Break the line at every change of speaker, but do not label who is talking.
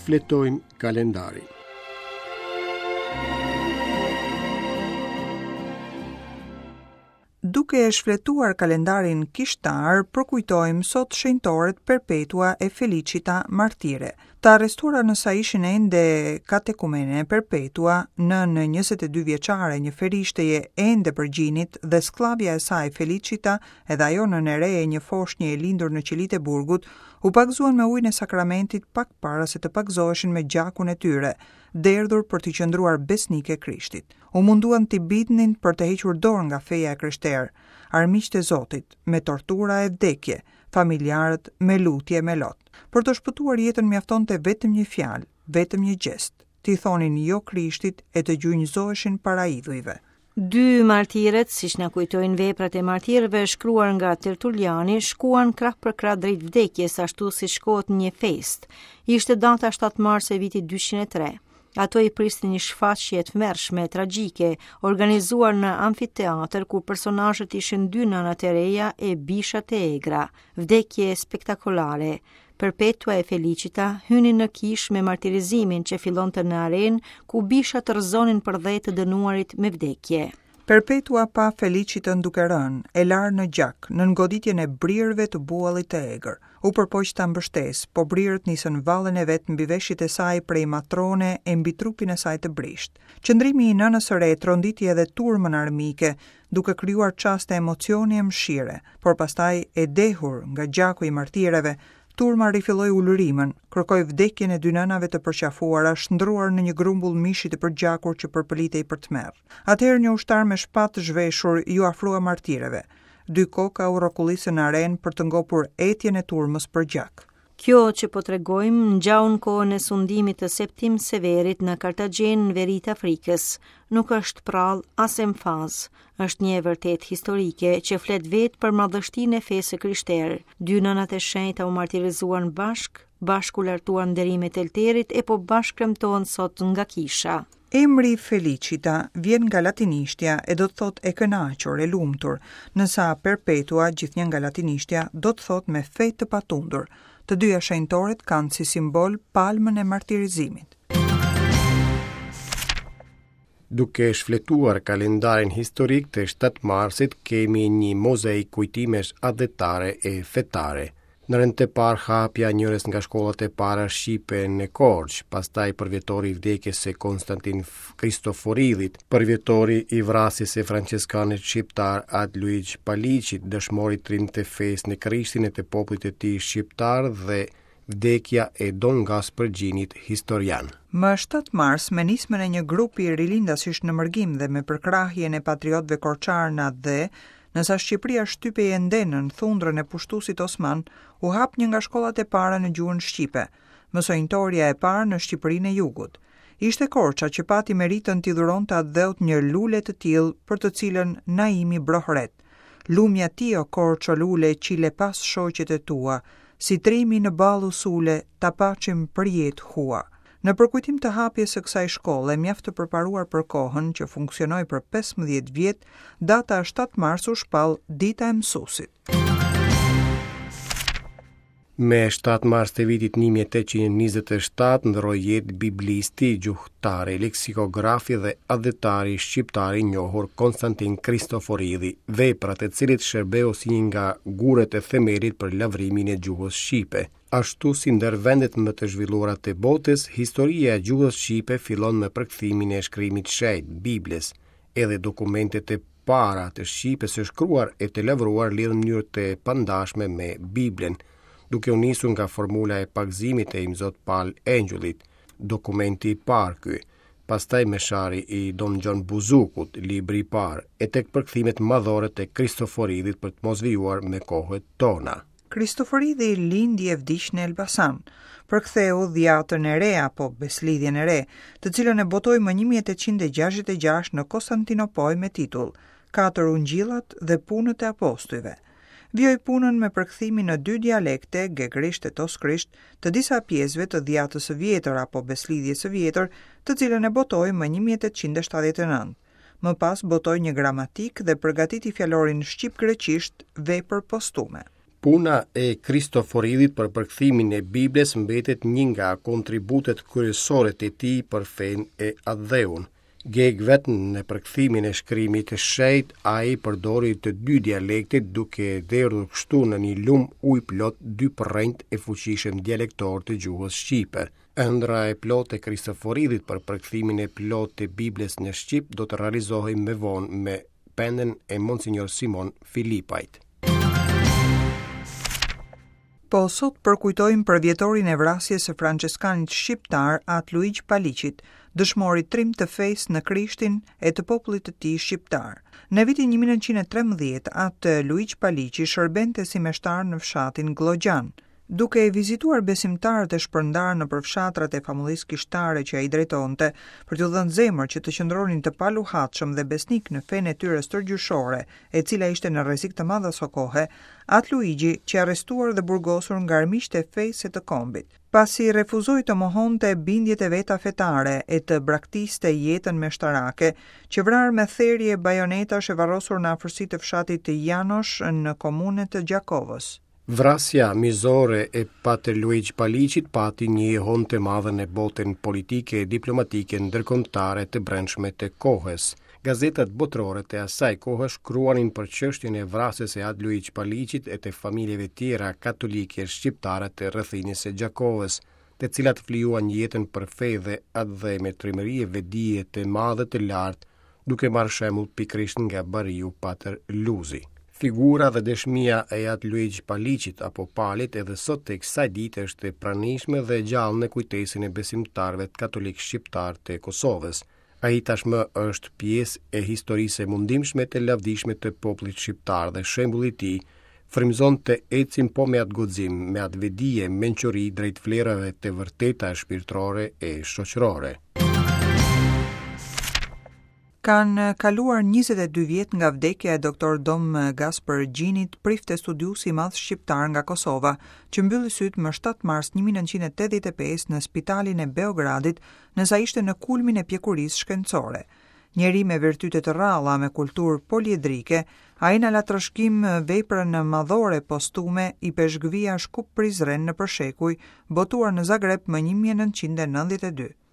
Shfletojmë kalendarin.
Duke e shfletuar kalendarin kishtar, përkujtojmë sot shenjtoret Perpetua e Felicita martire. Të arrestuara në sa ishin ende katekumene, Perpetua, nënë 22 vjeçare, një ferishteje ende për gjinit dhe skllavja e saj Felicita, edhe ajo nënë e re e një foshnje e lindur në qelitë e burgut, u pagëzuan me ujin e sakramentit pak para se të pagëzoheshin me gjakun e tyre, derdhur për t'i qëndruar besnike Krishtit. U munduan t'i bindnin për të hequr dorë nga feja e krishterë, armiqtë e Zotit, me tortura e vdekje, familjarët me lutje e me lot. Për të shpëtuar jetën mjaftonte vetëm një fjalë, vetëm një gjest, t'i thonin jo Krishtit e të gjunjëzoheshin para idhujve.
Dy martiret, siç na kujtojnë veprat e martirëve shkruar nga Tertuliani, shkuan krah për krah drejt vdekjes, ashtu si shkohet në një festë. Ishte data 7 mars e vitit 203. Ato i priste një shfaqje e tmerrshme, tragjike, organizuar në amfiteatër ku personazhet ishin dy nënat e reja e bishat e egra. Vdekje spektakolare. Perpetua e Felicita hynin në kishë me martirizimin që fillonte në arenë, ku bishat rrëzonin përdhe të dënuarit me
vdekje. Perpetua pa Felicitën duke rënë, e larë në gjak, nën goditjen e brirëve të buallit të egër. U përpoq ta mbështesë, po brirët nisën vallen e vet mbi veshjet e saj prej matrone e mbi trupin e saj të brishtë. Qëndrimi i nënës së re tronditi edhe turmën armike, duke krijuar çaste emocioni e mëshire, por pastaj e dehur nga gjaku i martireve, turma rifilloi ulërimën, kërkoi vdekjen e dy nënave të përqafuara, shndërruar në një grumbull mishi të përgjakur që përpëlitej për tmerr. Atëherë një ushtar me shpatë të zhveshur iu afrua martireve. Dy koka u rrokullisën në arenë për të ngopur etjen e turmës për gjak.
Kjo që po tregojmë ngjau në kohën e sundimit të Septim Severit në Kartagjenë në veri të Afrikës. Nuk është prrallë as emfazë, është një e vërtetë historike që flet vetë për madhështinë e fesë së krishterë. Dy nënat e shenjta u martirizuan bashkë, bashkë u lartuan nderimet e oltarit e po bashkë kremtohen sot nga
kisha. Emri Felicita vjen nga latinishtja e do të thotë e kënaqur, e lumtur, ndërsa Perpetua, gjithnjë nga latinishtja, do të thotë me fe të patundur. Të dyja shenjtoret kanë si simbol palmën e martirizimit.
Duke shfletuar kalendarin historik të 7 marsit, kemi një mozaik kujtimesh atdhetare e fetare. Në rend të parë hapja e njërës nga shkollat e para shqipe në Korçë, pastaj përvjetori i vdekjes së Konstantin Kristoforidhit, përvjetori i vrasjes së françeskanit shqiptar At Luigj Paliqit, dëshmorit trim të fesë në Krishtin e të popullit të tij shqiptar dhe vdekja e Don Gaspër Gjinit historian.
Më 7 mars, me nismën e një grupi rilindasish në mërgim dhe me përkrahjen e patriotëve korçarë në atdhe, Ndërsa Shqipëria shtypej ende nën thundrën e pushtuesit osman, u hap një nga shkollat e para në gjuhën shqipe, mësonjëtorja e parë në Shqipërinë e Jugut. Ishte Korça që pati meritën t'i dhuronte atdheut një lule të tillë për të cilën Naimi brohoret, Lumja ti o Korçë o lule qi le pas shoqet e tua, si trimi në ballë u sule, ta paçim përjetë hua. Në përkujtim të hapjes së kësaj shkolle, mjaft të përparuar për kohën, që funksionoi për 15 vjet, data 7 mars u shpall Dita e
Mësuesit. Me 7 mars të vitit 1827 ndërroi jetë biblisti, gjuhëtari, leksikografi dhe atdhetari shqiptar i njohur Konstantin Kristoforidhi, vepra e të cilit shërbeu si një nga gurët e themelit për lavdërimin e gjuhës shqipe. Ashtu si ndër vendet më të zhvilluara të botës, historia e gjuhës shqipe fillon me përkthimin e shkrimit të shenjtë, Biblës. Edhe dokumentet e para të shqipes së shkruar e të lavdëruar lidhen në mënyrë të pandashme me Biblën, duke u nisur nga formula e pagëzimit të Imzot Pal Engjullit, dokumenti i parë ky, pastaj Meshari i Dom Gjon Buzukut, libri i parë, e tek përkthimet madhore të Kristoforidhit për të mos vijuar me kohët tona.
Kristoforidhi lindi e vdiq në Elbasan. Përktheu Dhjatën e Re apo Besëlidhjen e Re, të cilën e botoi më 1866 në Konstantinopojë me titull Katër Ungjillat dhe Punët e Apostujve. Vijoi punën me përkthimin në dy dialekte, gegërisht e toskërisht, të disa pjesëve të Dhjatës së Vjetër apo Besëlidhjes së Vjetër, të cilën e botoi më 1879. Më pas botoi një gramatikë dhe përgatiti fjalorin shqip-greqisht, vepër
postume. Puna e Kristoforidhit për përkthimin e Biblës mbetet një nga kontributet kryesore të tij për fenë e atdheun. Gegë vetë në përkthimin e shkrimit të shenjtë, ai përdori të dy dialektet duke derdhur kështu në një lumë ujë plot dy përrenjtë e fuqishëm dialektorë të gjuhës shqipe. Ëndrra e plotë e Kristoforidhit për përkthimin e plotë të Biblës në shqip do të realizohej më vonë me penën e Monsinjor Simon Filipajt.
Po sot përkujtojmë përvjetorin e vrasjes së françeskanit shqiptar At Luigj Paliqit, dëshmorit trim të fesë në Krishtin e të popullit të tij shqiptar. Në vitin 1913, At Luigj Paliqi shërbente si meshtar në fshatin Gllogjan. Duke vizituar besimtarët e shpërndarë nëpër fshatrat e famullisë kishtare që ai drejtonte, për t'u dhënë zemër që të qëndronin të paluhatshëm dhe besnikë në fenë e tyre stërgjyshore, e cila ishte në rrezik të madh asokohe, At Luigji qe arrestuar dhe burgosur nga armiqtë e fesë e të kombit. Pasi refuzoi të mohonte bindjet e veta fetare e të braktiste jetën meshtarake, qe vrarë me therje bajonetash e varrosur në afërsi të fshatit Janosh në komunë të Gjakovës.
Vrasja mizore e Patër Luigj Paliqit pati një jehonë të madhe në botën politike e diplomatike ndërkombëtare të brendshme të kohës. Gazetat botërore të asaj kohe shkruanin për çështjen e vrasjes së At Luigj Paliqit e të familjeve tjera katolike shqiptare të rrethinës së Gjakovës, të cilat flijuan jetën për fe dhe atdhe me trimëri e vetëdije të madhe të lartë, duke marrë shembull pikërisht nga bariu Patër Luzi. Figura dhe dëshmia e At Luigj Paliqit apo Palit edhe sot e kësaj dite është e pranishme dhe e gjallë në kujtesën e besimtarëve katolikë shqiptarë të Kosovës. Ai tashmë është pjesë e historisë së mundimshme të lavdishme të popullit shqiptar dhe shembulli i tij frymëzon të ecim po me atë guxim, me atë vetëdije, mençuri drejt vlerave të vërteta shpirtërore e shoqërore.
Kanë kaluar 22 vjet nga vdekja e Doktor Dom Gaspër Gjinit, prift e studiues i madh shqiptar nga Kosova, që mbylli sytë më 7 mars 1985 në spitalin e Beogradit, ndërsa ishte në kulmin e pjekurisë shkencore. Njeri me virtyte të rralla, me kulturë poliedrike, ai na la trashëgim veprën madhore postume Ipeshkvia Shkup-Prizren nëpër shekuj, botuar në Zagreb më 1992.